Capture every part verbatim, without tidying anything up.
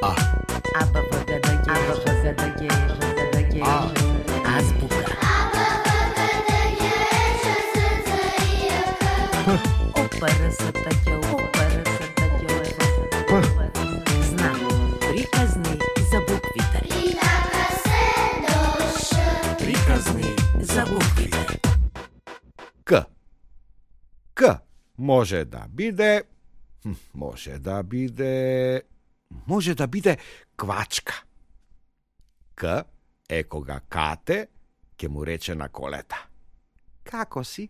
А. А, Б, В, Г, Д, Г, Х, Г, Д, Г, Х, Г, Д, Г. Азбука. Опа, Р, С, Т, Ќ, опа, Р, С, Т, Ќ, Р, С, Т, Ќ. Знак. Приказни за буквите. Приказни за буквите. К. К може да биде, може да биде, може да биде квачка. К е кога кате ќе му рече на колета: како си?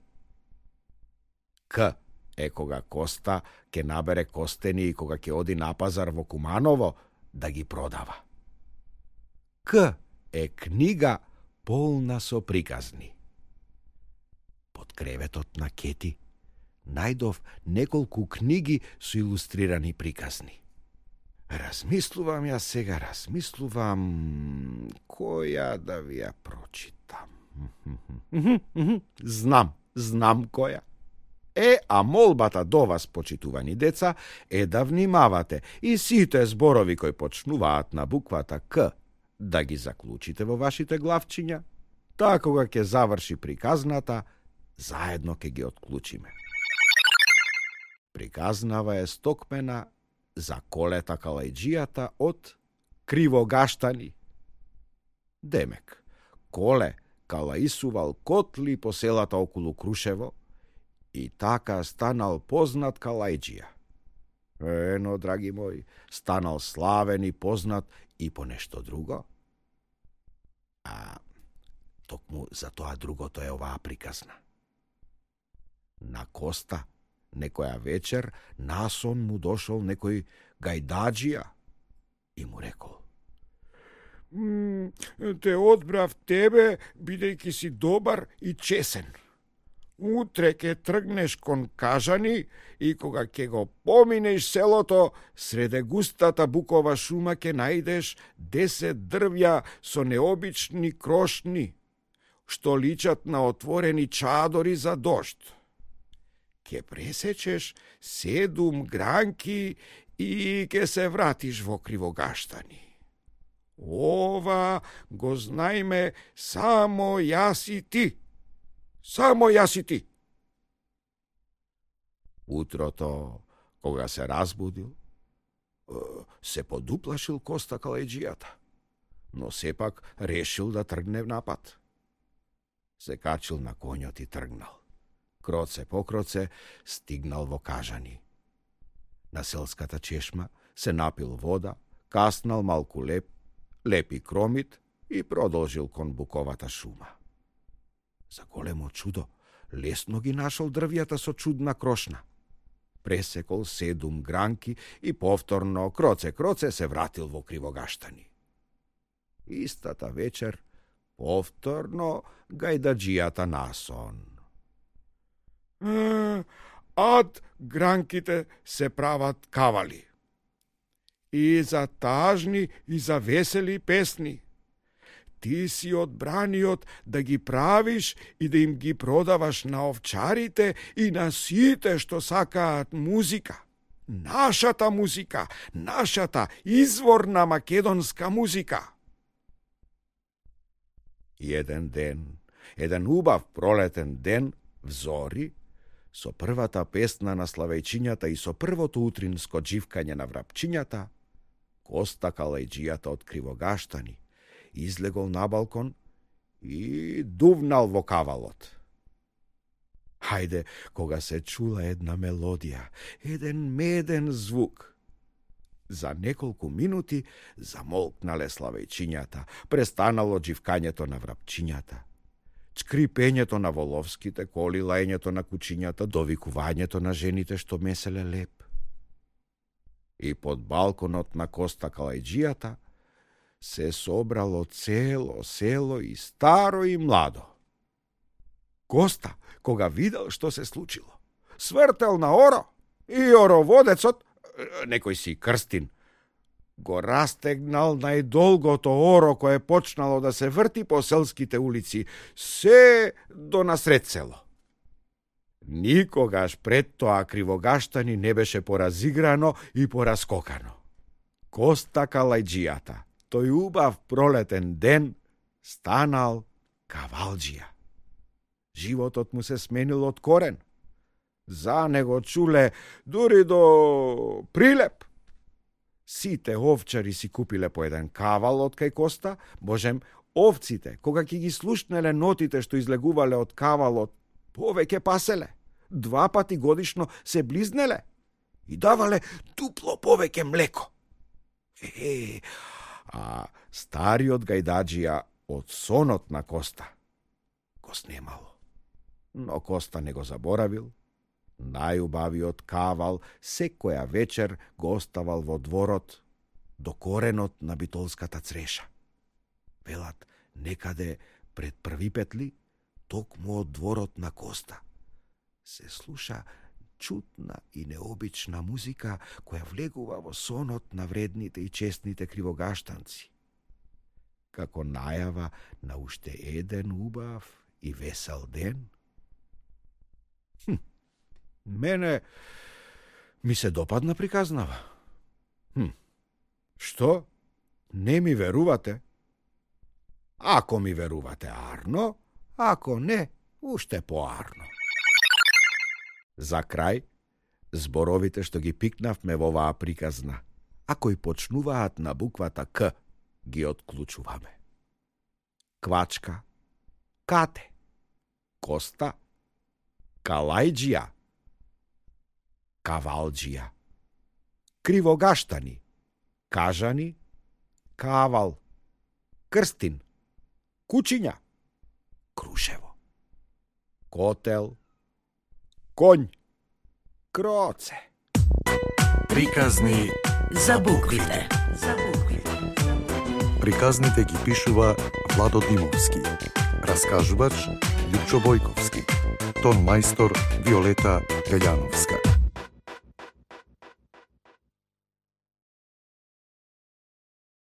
К е кога Коста ќе набере костени и кога ќе оди на пазар во Куманово да ги продава. К е книга полна со приказни. Под креветот на Кети најдов неколку книги со илустрирани приказни. Размислувам ја сега, размислувам која да ви ја прочитам. Знам, знам која. Е, а молбата до вас, почитувани деца, е да внимавате и сите зборови кои почнуваат на буквата К да ги заклучите во вашите главчиња, така кога ќе заврши приказната, заедно ќе ги отклучиме. Приказнава е стокмена за Колета Калајџијата од Кривогаштани. Демек, Коле калаисувал котли по селата околу Крушево и така станал познат Калајџија. Ено, драги мои, станал славен и познат и по нешто друго. А токму за тоа другото е оваа приказна. На Коста некоја вечер насон му дошол некој гајдаџија и му рекол: те одбрав тебе, бидејќи си добар и чесен. Утре ќе тргнеш кон Кажани и кога ќе го поминеш селото, среде густата букова шума ќе најдеш десет дрвја со необични крошни, што личат на отворени чадори за дожд. Ке пресечеш седум гранки и ке се вратиш во Кривогаштани. Ова го знајме само јас и ти. Само јас и ти. Утрото, кога се разбудил, се подуплашил Коста Калајџијата, но сепак решил да тргне напад. Се качил на коњот и тргнал. Кроце по кроце стигнал во Кажани. На селската чешма се напил вода, каснал малку леп, лепи кромит и продолжил кон буковата шума. За големо чудо, лесно ги нашол дрвјата со чудна крошна. Пресекол седум гранки и повторно кроце-кроце се вратил во Кривогаштани. Истата вечер повторно гајдаџијата насон. Ад гранките се прават кавали. И за тажни и за весели песни. Ти си одбраниот да ги правиш и да им ги продаваш на овчарите и на сите што сакаат музика. Нашата музика, нашата изворна македонска музика. Еден ден, еден убав пролетен ден, взори, со првата песна на славејчињата и со првото утринско дживкање на врапчињата, Коста Калајџијата од Кривогаштани излегол на балкон и дувнал во кавалот. Хајде, кога се чула една мелодија, еден меден звук. За неколку минути замолкнале славејчињата, престанало дживкањето на врапчињата, чкрипењето на воловските коли, лајњето на кучињата, довикувањето на жените што меселе леп. И под балконот на Коста Калајџијата се собрало цело село и старо и младо. Коста, кога видел што се случило, свртел на оро и ороводецот, некој си Крстин, го растегнал најдолгото оро кое почнало да се врти по селските улици, се до насред село. Никогаш пред тоа Кривогаштани не беше поразиграно и пораскокано. Коста Калајџијата, тој убав пролетен ден, станал кавалџија. Животот му се сменил од корен. За него чуле дури до прилеп. Сите овчари си купиле по еден кавал од кај Коста, божем, овците, кога ќе ги слушнеле нотите што излегувале од кавалот, повеќе паселе. Два пати годишно се близнеле и давале дупло повеќе млеко. Е, а стариот гајдаџија од сонот на Коста го снемало. Но Коста не го заборавил. Најубавиот кавал секоја вечер го оставал во дворот до коренот на битолската цреша. Велат, некаде пред први петли, токму од дворот на Коста, се слуша чутна и необична музика која влегува во сонот на вредните и честните кривогаштанци. Како најава на уште еден убав и весел ден. Хм, мене ми се допадна приказнава. Хм, што? Не ми верувате? Ако ми верувате арно, ако не, уште поарно. За крај, зборовите што ги пикнавме во оваа приказна, а кои почнуваат на буквата К, ги отклучуваме. Квачка, кате, Коста, Калајџија, кавалџија, кривогаштани, кажани, кавал, крстин, кучиња, Крушево, котел, конј, кроце. Приказни За буквите. За буквите. Приказните ги пишува Владо Димовски, раскажувач Лјупчо Бојковски, тон мајстор Виолета Гаљановска.